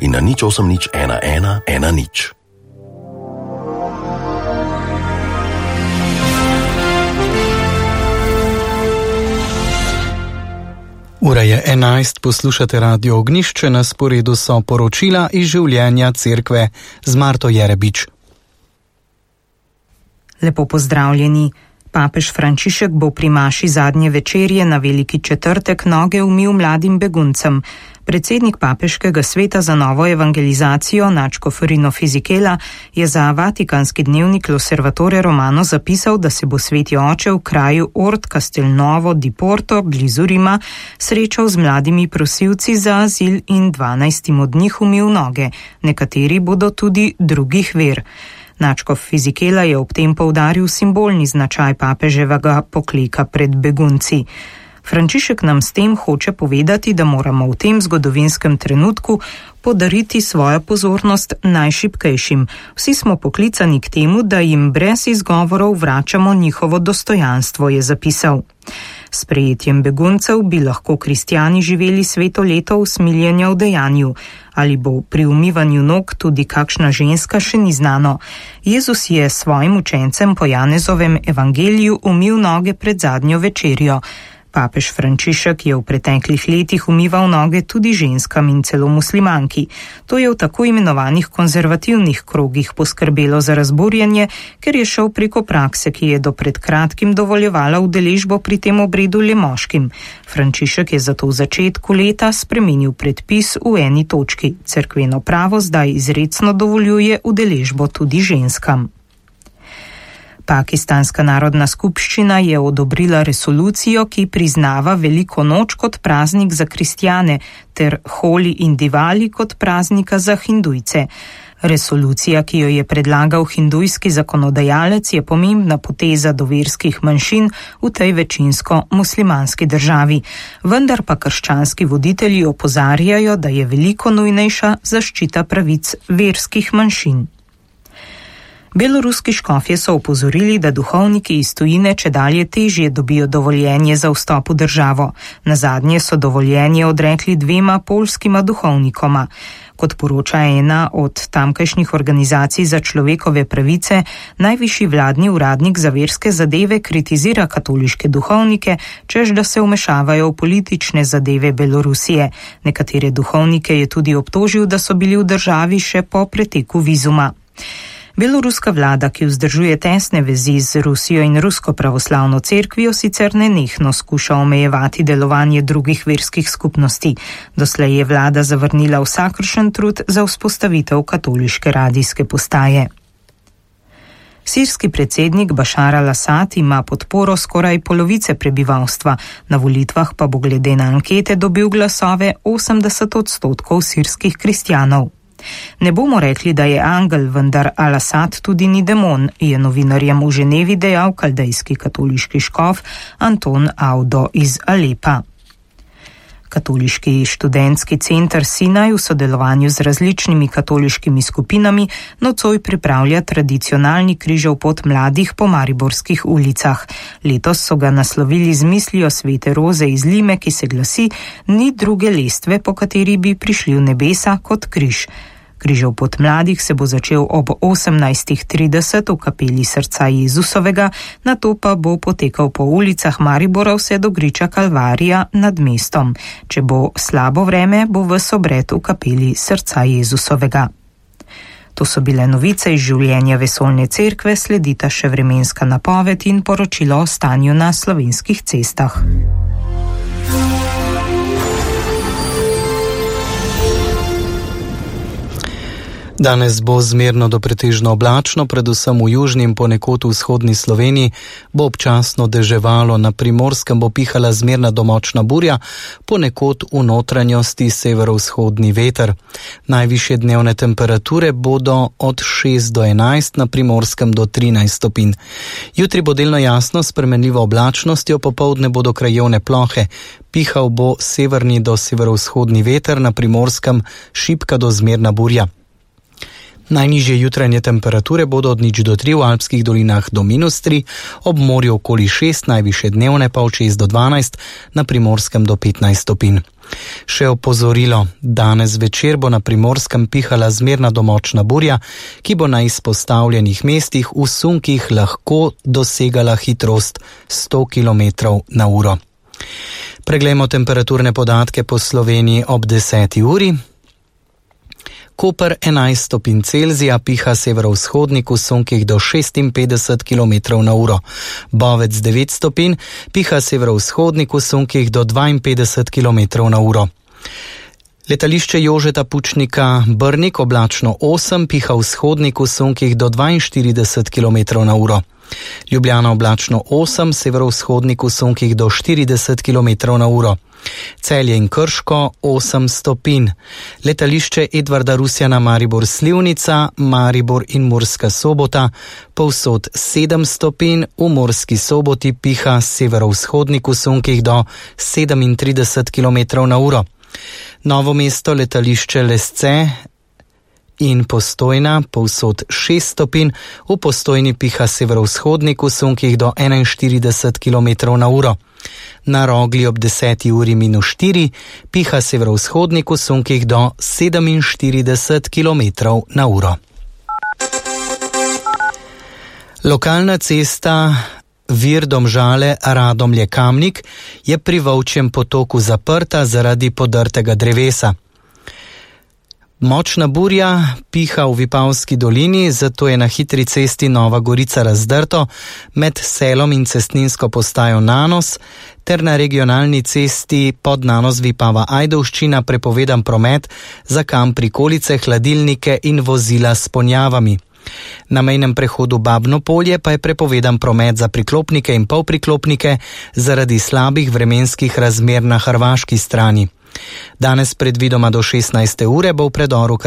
in na 0800 11 10. Ura je 11, poslušate Radio Ognjišče, na sporedu so poročila iz življenja cerkve z Marto Jerebič. Lepo pozdravljeni. Papež Frančišek bo pri maši zadnje večerje na Veliki četrtek noge umil mladim beguncem. Predsednik papeškega sveta za novo evangelizacijo Načko Ferino Fizikela je za vatikanski dnevnik L'Osservatore Romano zapisal, da se bo sveti oče v kraju Ort Castelnuovo di Porto blizu Rima srečal z mladimi prosilci za azil in 12 od njih umil noge. Nekateri bodo tudi drugih ver. Načkov Fizikela je ob tem poudaril simbolni značaj papeževega pokleka pred begunci. Frančišek nam s tem hoče povedati, da moramo v tem zgodovinskem trenutku podariti svojo pozornost najšibkejšim. Vsi smo poklicani k temu, da jim brez izgovorov vračamo njihovo dostojanstvo, je zapisal. S prejetjem beguncev bi lahko kristjani živeli sveto leto usmiljenja v dejanju. Ali bo pri umivanju nog tudi kakšna ženska, še ni znano. Jezus je svojim učencem po Janezovem evangeliju umil noge pred zadnjo večerjo. Papež Frančišek je v preteklih letih umival noge tudi ženskam in celo muslimanki. To je v tako imenovanih konzervativnih krogih poskrbelo za razburjenje, ker je šel preko prakse, ki je do pred kratkim dovoljevala udeležbo pri tem obredu le moškim. Frančišek je zato v začetku leta spremenil predpis v eni točki. Cerkveno pravo zdaj izrecno dovoljuje udeležbo tudi ženskam. Pakistanska narodna skupščina je odobrila resolucijo, ki priznava Veliko noč kot praznik za kristjane ter Holi in Divali kot praznika za hindujce. Resolucija, ki jo je predlagal hindujski zakonodajalec, je pomembna poteza do verskih manjšin v tej večinsko muslimanski državi. Vendar pa krščanski voditelji opozarjajo, da je veliko nujnejša zaščita pravic verskih manjšin. Beloruski škofje so opozorili, da duhovniki iz tujine čedalje težje dobijo dovoljenje za vstop v državo. Nazadnje so dovoljenje odrekli 2 poljskima duhovnikoma. Kot poroča ena od tamkajšnjih organizacij za človekove pravice, najvišji vladni uradnik za verske zadeve kritizira katoliške duhovnike, češ da se vmešavajo v politične zadeve Belorusije. Nekatere duhovnike je tudi obtožil, da so bili v državi še po preteku vizuma. Beloruska vlada, ki vzdržuje tesne vezi z Rusijo in Rusko pravoslavno cerkvijo, sicer nenehno skuša omejevati delovanje drugih verskih skupnosti. Doslej je vlada zavrnila vsakršen trud za vzpostavitev katoliške radijske postaje. Sirski predsednik Bašar al-Asad ima podporo skoraj polovice prebivalstva, na volitvah pa bo glede na ankete dobil glasove 80% sirskih kristjanov. Ne bomo rekli, da je angel, vendar al-Asad tudi ni demon, je novinarjem v Ženevi dejal kaldejski katoliški škof Anton Audo iz Alepa. Katoliški študentski center Sinaj v sodelovanju z različnimi katoliškimi skupinami nocoj pripravlja tradicionalni križev pot mladih po mariborskih ulicah. Letos so ga naslovili z mislijo svete Roze iz Lime, ki se glasi: ni druge lestve, po kateri bi prišli v nebesa kot križ. Križev pot mladih se bo začel ob 18:30 v kapeli Srca Jezusovega, nato pa bo potekal po ulicah Maribora vse do griča Kalvarija nad mestom. Če bo slabo vreme, bo ves obred v kapeli Srca Jezusovega. To so bile novice iz življenja vesoljne cerkve, sledita še vremenska napoved in poročilo o stanju na slovenskih cestah. Danes bo zmerno do pretežno oblačno, predvsem v južni in ponekod v vzhodni Sloveniji bo občasno deževalo, na Primorskem bo pihala zmerna do močna burja, ponekod v notranjosti severovzhodni veter. Najvišje dnevne temperature bodo od 6 do 11, na Primorskem do 13 stopinj. Jutri bo delno jasno, s spremenljivo oblačnostjo, popoldne bodo krajevne plohe. Pihal bo severni do severovzhodni veter, na Primorskem šibka do zmerna burja. Najnižje jutranje temperature bodo od 0 do 3 v alpskih dolinah do -3, ob morju okoli 6, najvišje dnevne pa od 6 do 12, na Primorskem do 15 stopinj. Še opozorilo, danes večer bo na Primorskem pihala zmerna do močna burja, ki bo na izpostavljenih mestih v sunkih lahko dosegala hitrost 100 km/h. Preglejmo temperaturne podatke po Sloveniji ob 10. uri. Koper 11 stopinj Celzija, piha severovzhodnik v sunkih do 56 km/h. Bovec 9 stopinj, piha severovzhodnik v sunkih do 52 km/h. Letališče Jožeta Pučnika Brnik oblačno 8, piha vzhodnik v sunkih do 42 km/h. Ljubljana oblačno 8, severovzhodnik v sunkih do 40 km/h. Celje in Krško 8 stopinj. Letališče Edvarda Rusjana Maribor Slivnica, Maribor in Murska Sobota povsod 7 stopinj, v Murski Soboti piha severovzhodnik v sunkih do 37 km/h. Novo mesto, letališče Lesce in Postojna povsod 6 stopinj, v Postojni piha severovzhodnik v sunkih do 41 km/h. Na Rogli ob 10. uri -4 piha severovzhodnik v sunkih do 47 km/h. Lokalna cesta Vir Domžale-Radomlje-Kamnik je pri Volčjem potoku zaprta zaradi podrtega drevesa. Močna burja piha v Vipavski dolini, zato je na hitri cesti Nova Gorica razdrto med Selom in cestninsko postajo Nanos ter na regionalni cesti pod Nanos Vipava Ajdovščina prepovedan promet za kamp prikolice, hladilnike in vozila s ponjavami. Na mejnem prehodu Babno Polje pa je prepovedan promet za priklopnike in polpriklopnike zaradi slabih vremenskih razmer na hrvaški strani. Danes predvidoma do 16. ure bo v predoru